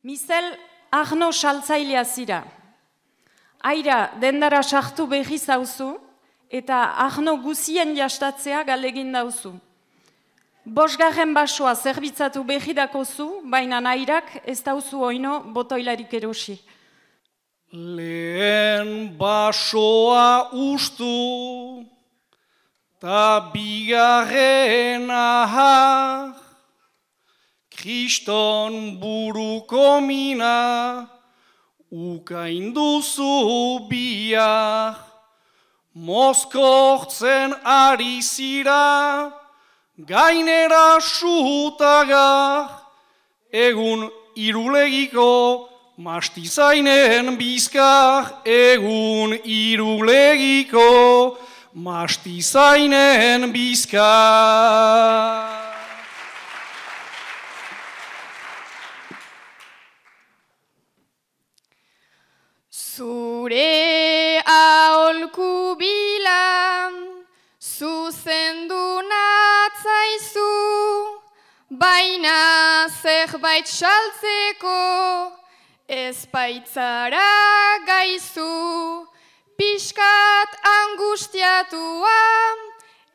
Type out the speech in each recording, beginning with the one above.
Mizel Arno saltzailea zira. Aira dendara sartu berri zauzu eta Arno guzien jastatzea galegin dauzu. 5. basoa zerbitzatu berri dakozu, baina airak ez dauzu oino botoilarik erosi. Lehen basoa ustu, ta bigarren ahar, Kriston buruko mina, ukainduzu bihar, mozkortzen ari zira, gainera sutagar, egun irulegiko, mastizainen bizkar, egun irulegiko, mastizainen bizkar. Zure aholku bila, zuzendu natzaizu, baina zerbait saltzeko, ez baitzara gaizu, pixkat angustiatua,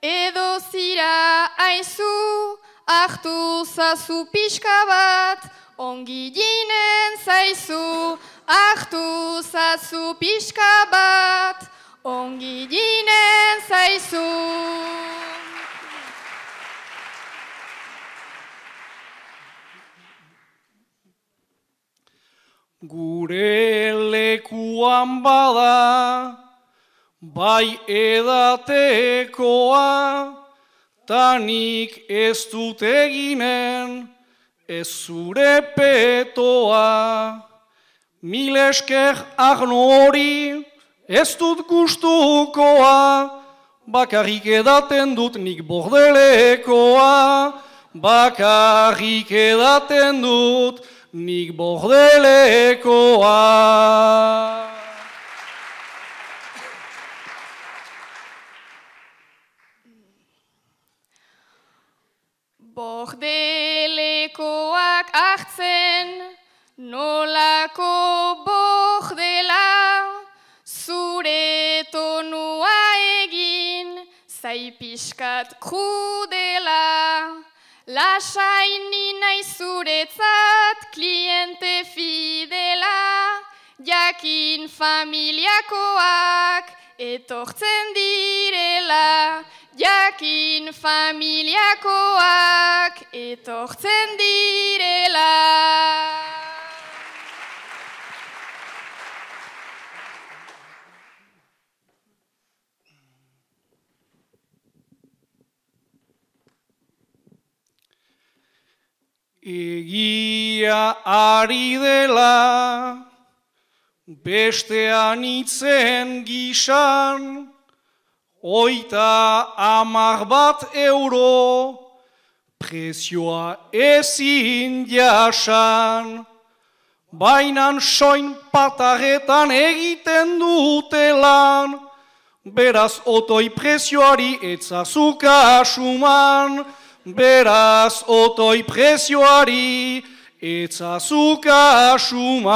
edo zira aizu, hartu zazu pixka bat, ongi ginen zaizu, hartu zazu pixka bat, ongi ginen zaizu. Gure lekuan bada, bai edatekoa, tanik ez dut eginen, ez zure petoa. Mil esker Arno hori, ez dut gustukoa, bakarrik edaten dut nik bordelekoa, bakarrik edaten dut nik bordelekoa. Bordelekoak hartzen, nolako bordela, zure tonua egin, zai pixkat krudela. Lasaini nahi zuretzat, kliente fidela, jakin familiakoak etortzen direla, jakin familiakoak etortzen direla. Egia ari dela, bestean itzen gisan, 30 euro, prezioa ezin jasan. Bainan soin patarretan egiten dutelan, beraz otoi prezioari etzazu kasuman, beraz otoi prezioari etzazu kasuman.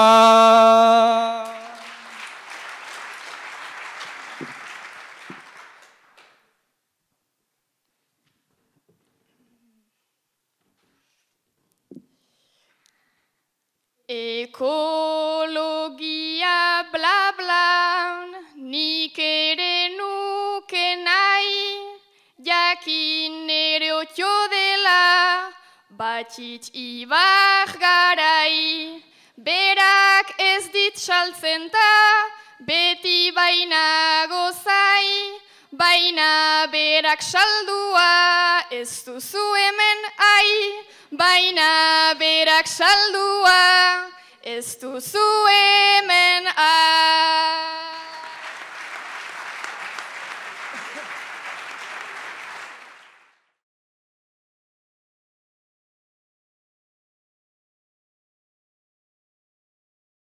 Ekologia bla bla, nik ere nuke nahi, jakin ere otio dela, batxitz ibar garai. Berak ez dit saltzen ta, beti baina gozai, baina berak saldua, ez duzu hemen ai. Baina berak saldua, ez duzu hemen ai.